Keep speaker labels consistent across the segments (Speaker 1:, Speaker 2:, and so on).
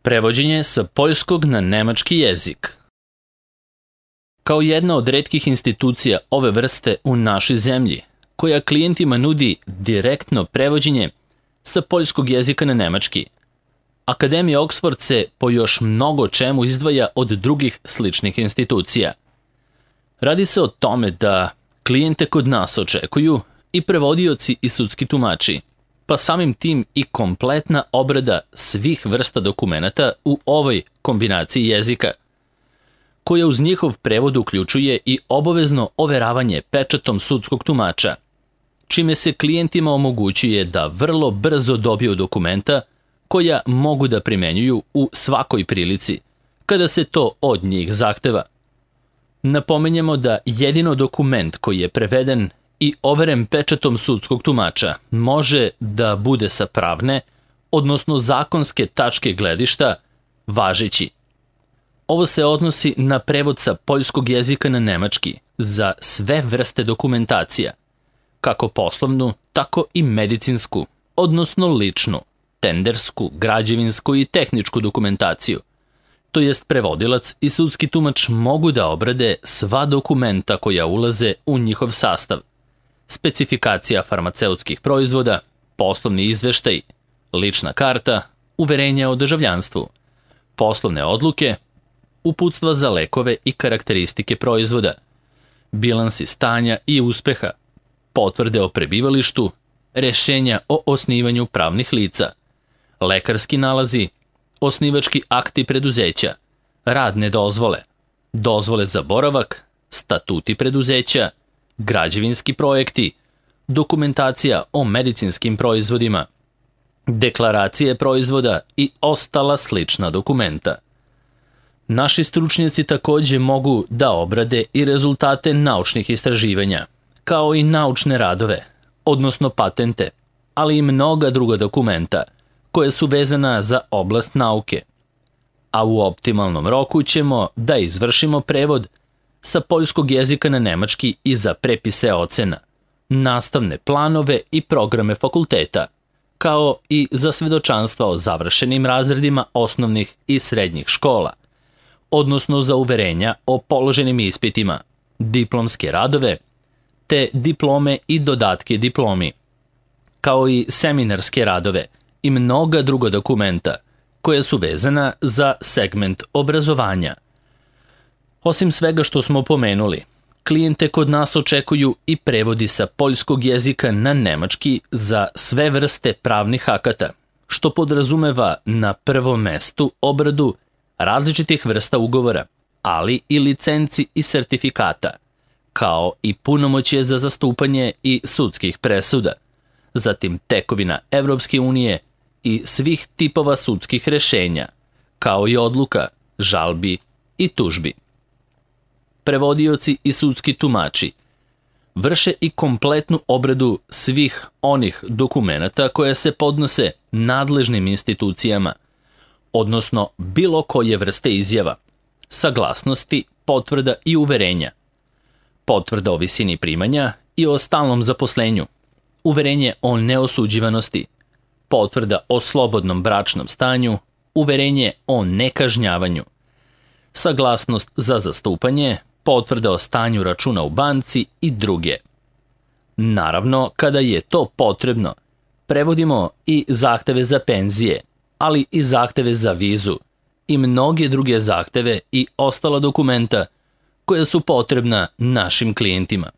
Speaker 1: Prevođenje sa poljskog na nemački jezik. Kao jedna od retkih institucija ove vrste u našoj zemlji, koja klijentima nudi direktno prevođenje sa poljskog jezika na nemački, Akademija Oxford se po još mnogo čemu izdvaja od drugih sličnih institucija. Radi se o tome da klijente kod nas očekuju i prevodioci i sudski tumači, pa samim tim i kompletna obrada svih vrsta dokumenata u ovoj kombinaciji jezika, koja uz njihov prevod uključuje i obavezno overavanje pečatom sudskog tumača, čime se klijentima omogućuje da vrlo brzo dobiju dokumenta koja mogu da primenjuju u svakoj prilici, kada se to od njih zahteva. Napominjemo da jedino dokument koji je preveden i overen pečatom sudskog tumača može da bude sa pravne, odnosno zakonske tačke gledišta, važeći. Ovo se odnosi na prevod sa poljskog jezika na nemački za sve vrste dokumentacija, kako poslovnu, tako i medicinsku, odnosno ličnu, tendersku, građevinsku i tehničku dokumentaciju. To jest prevodilac i sudski tumač mogu da obrade sva dokumenta koja ulaze u njihov sastav. Specifikacija farmaceutskih proizvoda, poslovni izveštaj, lična karta, uverenja o državljanstvu, poslovne odluke, uputstva za lekove i karakteristike proizvoda, bilansi stanja i uspeha, potvrde o prebivalištu, rešenja o osnivanju pravnih lica, lekarski nalazi, osnivački akti preduzeća, radne dozvole, dozvole za boravak, statuti preduzeća, građevinski projekti, dokumentacija o medicinskim proizvodima, deklaracije proizvoda i ostala slična dokumenta. Naši stručnjaci takođe mogu da obrade i rezultate naučnih istraživanja, kao i naučne radove, odnosno patente, ali i mnoga druga dokumenta koja su vezana za oblast nauke. A u optimalnom roku ćemo da izvršimo prevod sa poljskog jezika na nemački i za prepise ocena, nastavne planove i programe fakulteta, kao i za svedočanstva o završenim razredima osnovnih i srednjih škola, odnosno za uverenja o položenim ispitima, diplomske radove, te diplome i dodatke diplomi, kao i seminarske radove i mnoga druga dokumenta koja su vezana za segment obrazovanja. Osim svega što smo pomenuli, klijente kod nas očekuju i prevodi sa poljskog jezika na nemački za sve vrste pravnih akata, što podrazumeva na prvom mestu obradu različitih vrsta ugovora, ali i licenci i sertifikata, kao i punomoćje za zastupanje i sudskih presuda, zatim tekovina Evropske unije i svih tipova sudskih rešenja, kao i odluka, žalbi i tužbi. Prevodioci i sudski tumači vrše i kompletnu obradu svih onih dokumenata koje se podnose nadležnim institucijama, odnosno bilo koje vrste izjava, saglasnosti, potvrda i uverenja, potvrda o visini primanja i o stalnom zaposlenju, uverenje o neosuđivanosti, potvrda o slobodnom bračnom stanju, uverenje o nekažnjavanju, saglasnost za zastupanje, potvrda o stanju računa u banci i druge. Naravno, kada je to potrebno, prevodimo i zahteve za penzije, ali i zahteve za vizu i mnoge druge zahteve i ostala dokumenta koja su potrebna našim klijentima.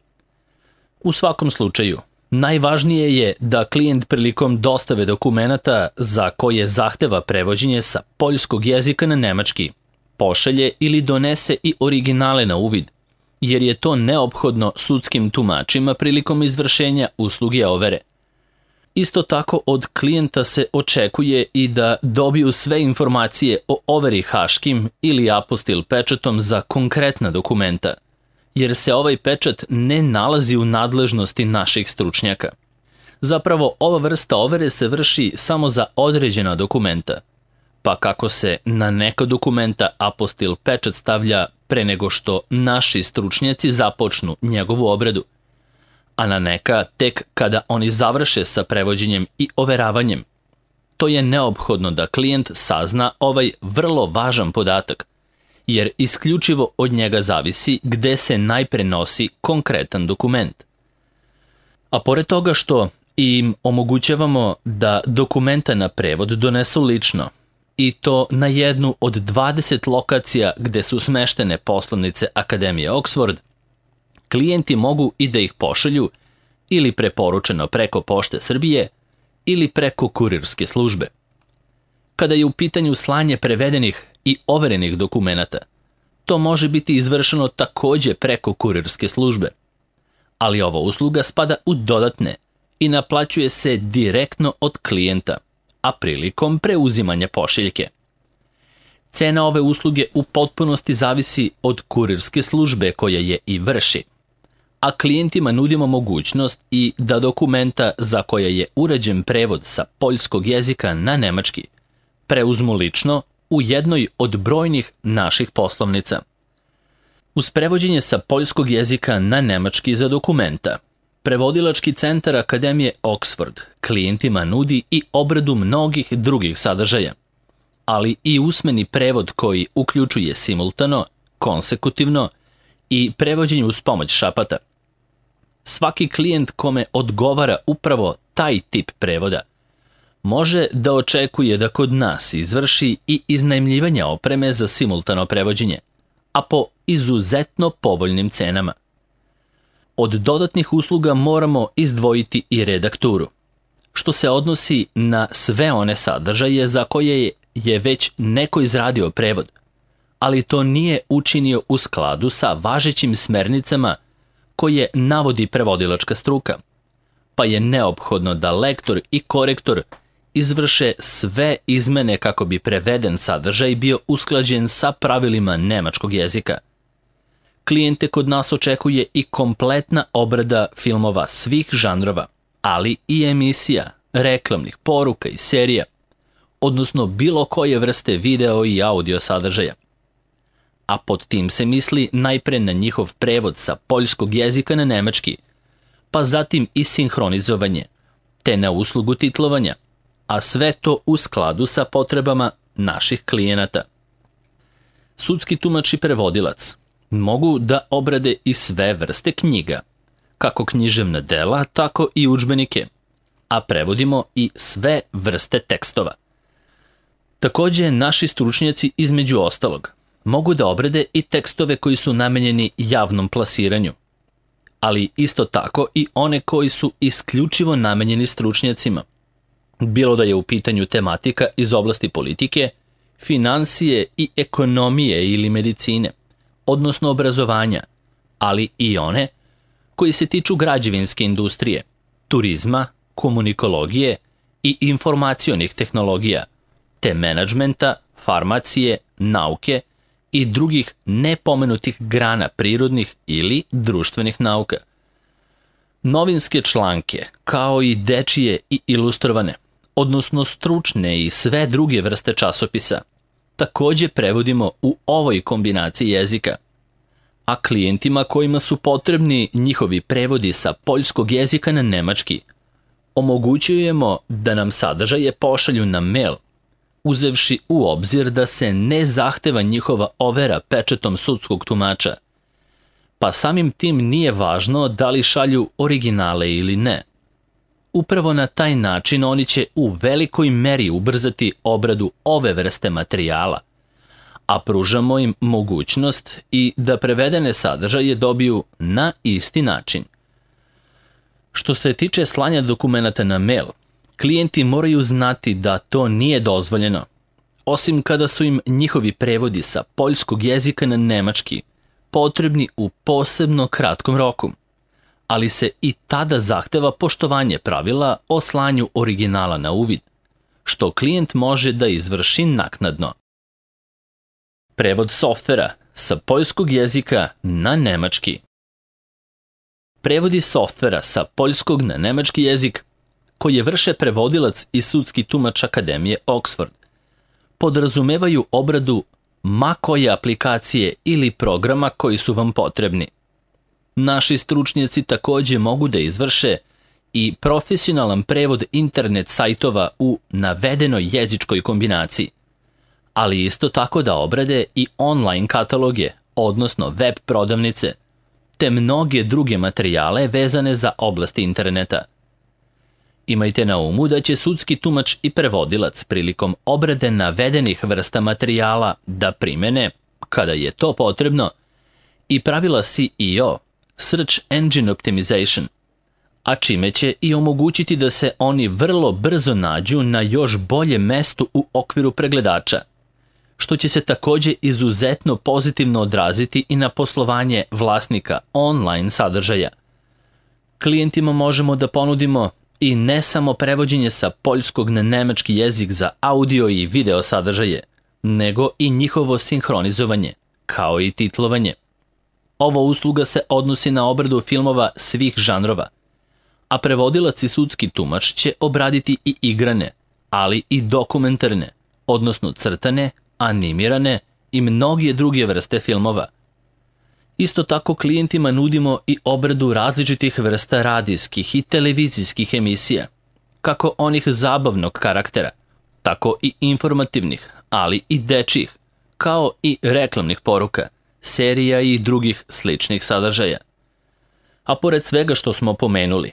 Speaker 1: U svakom slučaju, najvažnije je da klijent prilikom dostave dokumenata za koje zahteva prevođenje sa poljskog jezika na nemački pošalje ili donese i originale na uvid, jer je to neophodno sudskim tumačima prilikom izvršenja usluge overe. Isto tako od klijenta se očekuje i da dobiju sve informacije o overi haškim ili apostil pečatom za konkretna dokumenta, jer se ovaj pečat ne nalazi u nadležnosti naših stručnjaka. Zapravo, ova vrsta overe se vrši samo za određena dokumenta, pa kako se na neka dokumenta apostil pečat stavlja pre nego što naši stručnjaci započnu njegovu obradu, a na neka tek kada oni završe sa prevođenjem i overavanjem. to je neophodno da klijent sazna ovaj vrlo važan podatak, jer isključivo od njega zavisi gde se najpre nosi konkretan dokument. A pored toga što im omogućavamo da dokumenta na prevod donesu lično, i to na jednu od 20 lokacija gde su smeštene poslovnice Akademije Oxford, klijenti mogu i da ih pošalju ili preporučeno preko Pošte Srbije ili preko kurirske službe. Kada je u pitanju slanje prevedenih i overenih dokumenata, to može biti izvršeno takođe preko kurirske službe, ali ova usluga spada u dodatne i naplaćuje se direktno od klijenta, a prilikom preuzimanja pošiljke. Cena ove usluge u potpunosti zavisi od kurirske službe koja je i vrši, a klijentima nudimo mogućnost i da dokumenta za koja je urađen prevod sa poljskog jezika na nemački preuzmu lično u jednoj od brojnih naših poslovnica. Uz prevođenje sa poljskog jezika na nemački za dokumenta, Prevodilački centar Akademije Oxford klijentima nudi i obradu mnogih drugih sadržaja, ali i usmeni prevod koji uključuje simultano, konsekutivno i prevođenje uz pomoć šapata. Svaki klijent kome odgovara upravo taj tip prevoda može da očekuje da kod nas izvrši i iznajmljivanje opreme za simultano prevođenje, a po izuzetno povoljnim cenama. Od dodatnih usluga moramo izdvojiti i redakturu, što se odnosi na sve one sadržaje za koje je već neko izradio prevod, ali to nije učinio u skladu sa važećim smernicama koje navodi prevodilačka struka, pa je neophodno da lektor i korektor izvrše sve izmene kako bi preveden sadržaj bio usklađen sa pravilima nemačkog jezika. Klijente kod nas očekuje i kompletna obrada filmova svih žanrova, ali i emisija, reklamnih poruka i serija, odnosno bilo koje vrste video i audio sadržaja. A pod tim se misli najpre na njihov prevod sa poljskog jezika na nemački, pa zatim i sinhronizovanje, te na uslugu titlovanja, a sve to u skladu sa potrebama naših klijenata. Sudski tumač i prevodilac mogu da obrade i sve vrste knjiga, kako književna dela, tako i udžbenike, a prevodimo i sve vrste tekstova. Takođe, naši stručnjaci između ostalog mogu da obrade i tekstove koji su namenjeni javnom plasiranju, ali isto tako i one koji su isključivo namenjeni stručnjacima, bilo da je u pitanju tematika iz oblasti politike, finansije i ekonomije ili medicine, odnosno obrazovanja, ali i one koji se tiču građevinske industrije, turizma, komunikologije i informacionih tehnologija, te menadžmenta, farmacije, nauke i drugih nepomenutih grana prirodnih ili društvenih nauka. Novinske članke, kao i dečije i ilustrovane, odnosno stručne i sve druge vrste časopisa, takođe prevodimo u ovoj kombinaciji jezika, a klijentima kojima su potrebni njihovi prevodi sa poljskog jezika na nemački, omogućujemo da nam sadržaje pošalju na mail, uzevši u obzir da se ne zahteva njihova overa pečetom sudskog tumača, pa samim tim nije važno da li šalju originale ili ne. Upravo na taj način oni će u velikoj meri ubrzati obradu ove vrste materijala, a pružamo im mogućnost i da prevedene sadržaje dobiju na isti način. Što se tiče slanja dokumenata na mail, klijenti moraju znati da to nije dozvoljeno, osim kada su im njihovi prevodi sa poljskog jezika na nemački potrebni u posebno kratkom roku, ali se i tada zahteva poštovanje pravila o slanju originala na uvid, što klijent može da izvrši naknadno. Prevod softvera sa poljskog jezika na nemački. Prevodi softvera sa poljskog na nemački jezik koje vrše prevodilac i sudski tumač Akademije Oxford podrazumevaju obradu ma koje aplikacije ili programa koji su vam potrebni. Naši stručnjaci takođe mogu da izvrše i profesionalan prevod internet sajtova u navedenoj jezičkoj kombinaciji, ali isto tako da obrade i online kataloge, odnosno web prodavnice, te mnoge druge materijale vezane za oblast interneta. Imajte na umu da će sudski tumač i prevodilac prilikom obrade navedenih vrsta materijala da primene, kada je to potrebno, i pravila SEO, Search Engine Optimization, a čime će i omogućiti da se oni vrlo brzo nađu na još boljem mestu u okviru pregledača, što će se takođe izuzetno pozitivno odraziti i na poslovanje vlasnika online sadržaja. Klijentima možemo da ponudimo i ne samo prevođenje sa poljskog na nemački jezik za audio i video sadržaje, nego i njihovo sinhronizovanje, kao i titlovanje. Ova usluga se odnosi na obradu filmova svih žanrova, a prevodilac i sudski tumač će obraditi i igrane, ali i dokumentarne, odnosno crtane, animirane i mnoge druge vrste filmova. Isto tako klijentima nudimo i obradu različitih vrsta radijskih i televizijskih emisija, kako onih zabavnog karaktera, tako i informativnih, ali i dečjih, kao i reklamnih poruka, serija i drugih sličnih sadržaja. A pored svega što smo pomenuli,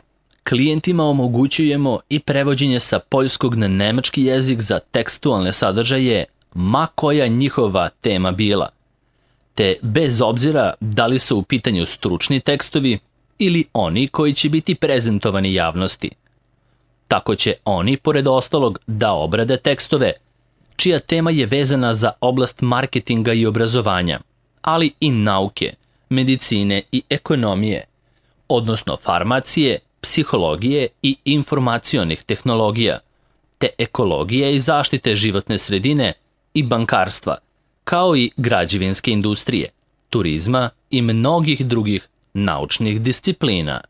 Speaker 1: klijentima omogućujemo i prevođenje sa poljskog na nemački jezik za tekstualne sadržaje, ma koja njihova tema bila, te bez obzira da li su u pitanju stručni tekstovi ili oni koji će biti prezentovani javnosti. Tako će oni, pored ostalog, da obrade tekstove, čija tema je vezana za oblast marketinga i obrazovanja, ali i nauke, medicine i ekonomije, odnosno farmacije, psihologije i informacionih tehnologija, te ekologije i zaštite životne sredine i bankarstva, kao i građevinske industrije, turizma i mnogih drugih naučnih disciplina.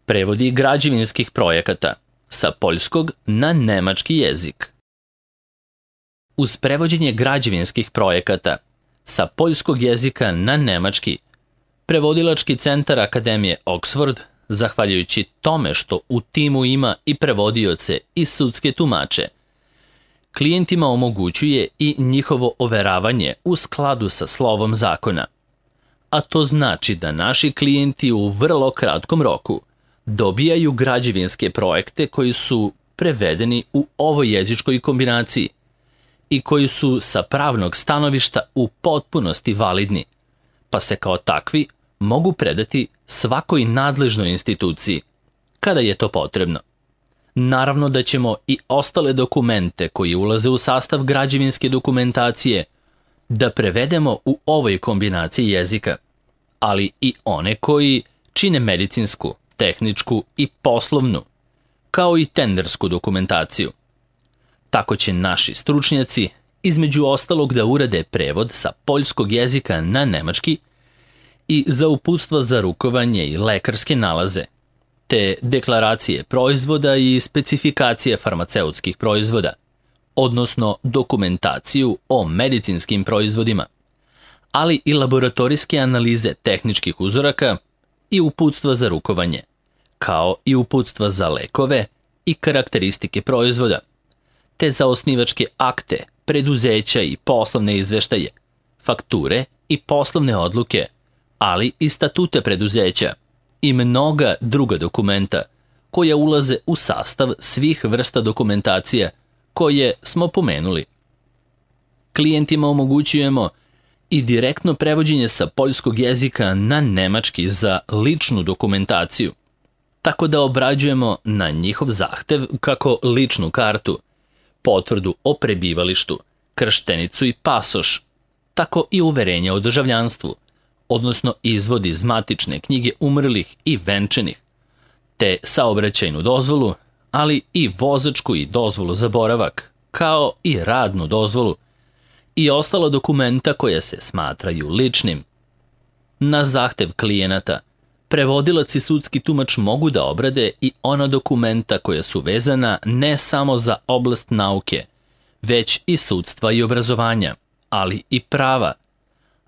Speaker 1: Prevodi građevinskih projekata sa poljskog na nemački jezik. Uz prevođenje građevinskih projekata sa poljskog jezika na nemački, Prevodilački centar Akademije Oxford, zahvaljujući tome što u timu ima i prevodioce i sudske tumače, klijentima omogućuje i njihovo overavanje u skladu sa slovom zakona. A to znači da naši klijenti u vrlo kratkom roku dobijaju građevinske projekte koji su prevedeni u ovoj jezičkoj kombinaciji i koji su sa pravnog stanovišta u potpunosti validni, pa se kao takvi mogu predati svakoj nadležnoj instituciji, kada je to potrebno. Naravno da ćemo i ostale dokumente koji ulaze u sastav građevinske dokumentacije da prevedemo u ovoj kombinaciji jezika, ali i one koji čine medicinsku, tehničku i poslovnu, kao i tendersku dokumentaciju. Tako će naši stručnjaci, između ostalog, da urade prevod sa poljskog jezika na nemački i za uputstva za rukovanje i lekarske nalaze, te deklaracije proizvoda i specifikacije farmaceutskih proizvoda, odnosno dokumentaciju o medicinskim proizvodima, ali i laboratorijske analize tehničkih uzoraka i uputstva za rukovanje, kao i uputstva za lekove i karakteristike proizvoda, te za osnivačke akte, preduzeća i poslovne izveštaje, fakture i poslovne odluke, ali i statute preduzeća i mnoga druga dokumenta koja ulaze u sastav svih vrsta dokumentacija koje smo pomenuli. Klijentima omogućujemo i direktno prevođenje sa poljskog jezika na nemački za ličnu dokumentaciju, tako da obrađujemo na njihov zahtev kako ličnu kartu, potvrdu o prebivalištu, krštenicu i pasoš, tako i uverenje o državljanstvu, odnosno izvod iz matične knjige umrlih i venčanih, te saobraćajnu dozvolu, ali i vozačku i dozvolu za boravak, kao i radnu dozvolu i ostala dokumenta koja se smatraju ličnim. Na zahtev klijenata, prevodilac i sudski tumač mogu da obrade i ona dokumenta koja su vezana ne samo za oblast nauke, već i sudstva i obrazovanja, ali i prava,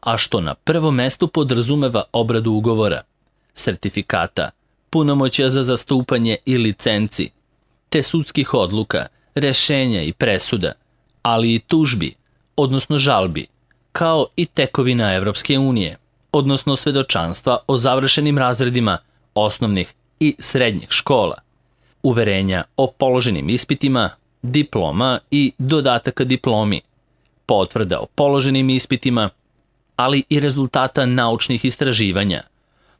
Speaker 1: a što na prvom mestu podrazumeva obradu ugovora, sertifikata, punomoćja za zastupanje i licenci, te sudskih odluka, rešenja i presuda, ali i tužbi, odnosno žalbi, kao i tekovina Evropske unije, odnosno svedočanstva o završenim razredima osnovnih i srednjih škola, uverenja o položenim ispitima, diploma i dodataka diplomi, potvrda o položenim ispitima, ali i rezultata naučnih istraživanja,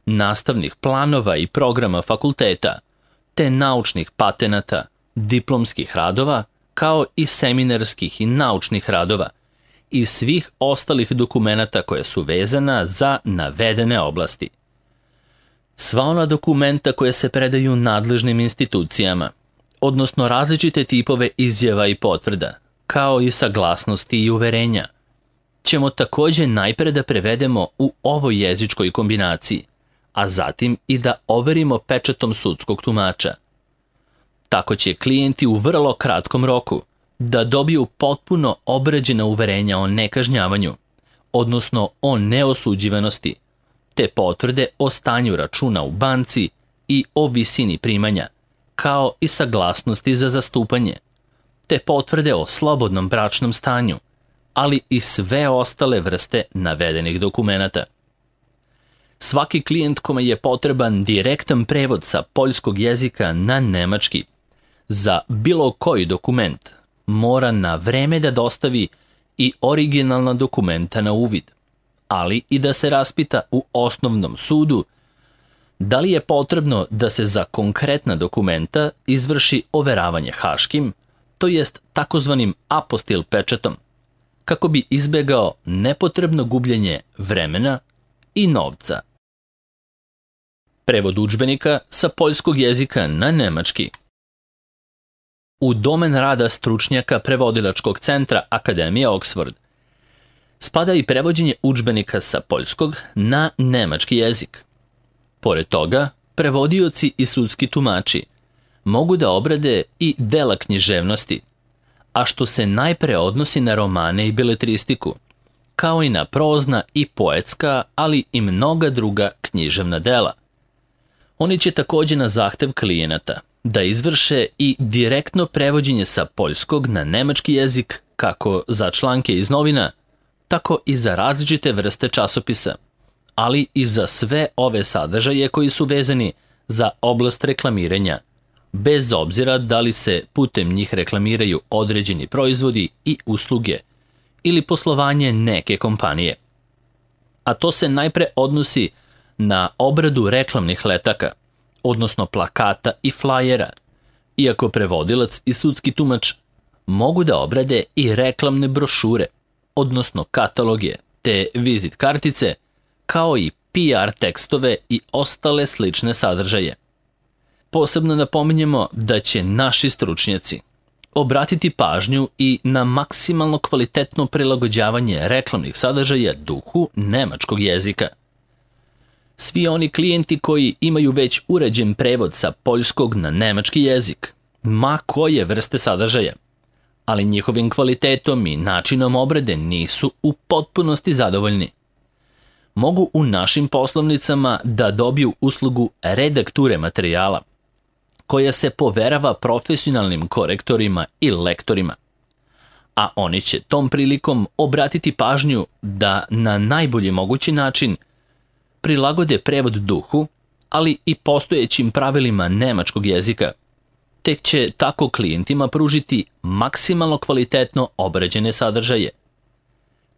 Speaker 1: nastavnih planova i programa fakulteta, te naučnih patenata, diplomskih radova, kao i seminarskih i naučnih radova i svih ostalih dokumenata koja su vezana za navedene oblasti. Sva ona dokumenta koja se predaju nadležnim institucijama, odnosno različite tipove izjava i potvrda, kao i saglasnosti i uverenja, ćemo takođe najpre da prevedemo u ovoj jezičkoj kombinaciji, a zatim i da overimo pečatom sudskog tumača. Tako će klijenti u vrlo kratkom roku da dobiju potpuno obrađena uverenja o nekažnjavanju, odnosno o neosuđivanosti, te potvrde o stanju računa u banci i o visini primanja, kao i saglasnosti za zastupanje, te potvrde o slobodnom bračnom stanju, ali i sve ostale vrste navedenih dokumenata. Svaki klijent kome je potreban direktan prevod sa poljskog jezika na nemački za bilo koji dokument mora na vreme da dostavi i originalna dokumenta na uvid, ali i da se raspita u osnovnom sudu da li je potrebno da se za konkretna dokumenta izvrši overavanje haškim, to jest takozvanim apostil pečatom, kako bi izbegao nepotrebno gubljenje vremena i novca. Prevod udžbenika sa poljskog jezika na nemački. U domen rada stručnjaka prevodilačkog centra Akademije Oxford spada i prevođenje udžbenika sa poljskog na nemački jezik. Pored toga, prevodioci i sudski tumači mogu da obrade i dela književnosti, a što se najpre odnosi na romane i beletristiku, kao i na prozna i poetska, ali i mnoga druga književna dela. Oni će takođe na zahtev klijenata da izvrše i direktno prevođenje sa poljskog na nemački jezik kako za članke iz novina, tako i za različite vrste časopisa, ali i za sve ove sadržaje koji su vezani za oblast reklamiranja, bez obzira da li se putem njih reklamiraju određeni proizvodi i usluge ili poslovanje neke kompanije. A to se najpre odnosi na obradu reklamnih letaka, odnosno plakata i flajera, iako prevodilac i sudski tumač mogu da obrade i reklamne brošure, odnosno kataloge, te vizit kartice, kao i PR tekstove i ostale slične sadržaje. Posebno napominjemo da će naši stručnjaci obratiti pažnju i na maksimalno kvalitetno prilagođavanje reklamnih sadržaja duhu nemačkog jezika. Svi oni klijenti koji imaju već uređen prevod sa poljskog na nemački jezik, ma koje vrste sadržaja, ali njihovim kvalitetom i načinom obrade nisu u potpunosti zadovoljni, mogu u našim poslovnicama da dobiju uslugu redakture materijala, koja se poverava profesionalnim korektorima i lektorima, a oni će tom prilikom obratiti pažnju da na najbolji mogući način prilagode prevod duhu, ali i postojećim pravilima nemačkog jezika, tek će tako klijentima pružiti maksimalno kvalitetno obrađene sadržaje.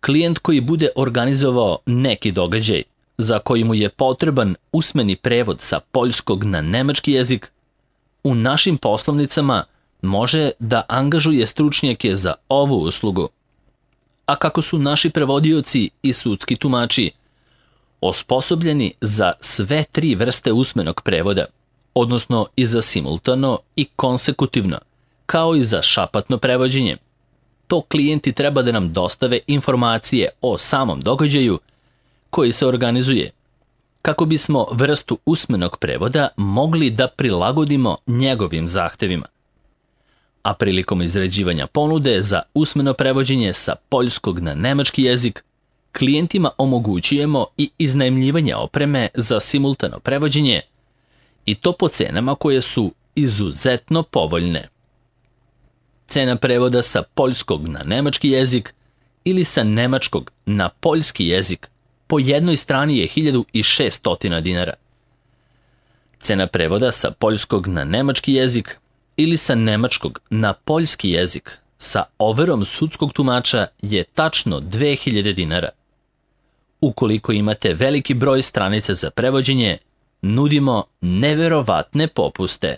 Speaker 1: Klijent koji bude organizovao neki događaj za koji mu je potreban usmeni prevod sa poljskog na nemački jezik, u našim poslovnicama može da angažuje stručnjake za ovu uslugu. A kako su naši prevodioci i sudski tumači osposobljeni za sve tri vrste usmenog prevoda, odnosno i za simultano i konsekutivno, kao i za šapatno prevođenje, to klijenti treba da nam dostave informacije o samom događaju koji se organizuje, kako bismo vrstu usmenog prevoda mogli da prilagodimo njegovim zahtevima. A prilikom izrađivanja ponude za usmeno prevođenje sa poljskog na nemački jezik, klijentima omogućujemo i iznajmljivanje opreme za simultano prevođenje I to po cenama koje su izuzetno povoljne. Cena prevoda sa poljskog na nemački jezik ili sa nemačkog na poljski jezik po jednoj strani je 1600 dinara. Cena prevoda sa poljskog na nemački jezik ili sa nemačkog na poljski jezik sa overom sudskog tumača je tačno 2000 dinara. Ukoliko imate veliki broj stranica za prevođenje, nudimo neverovatne popuste.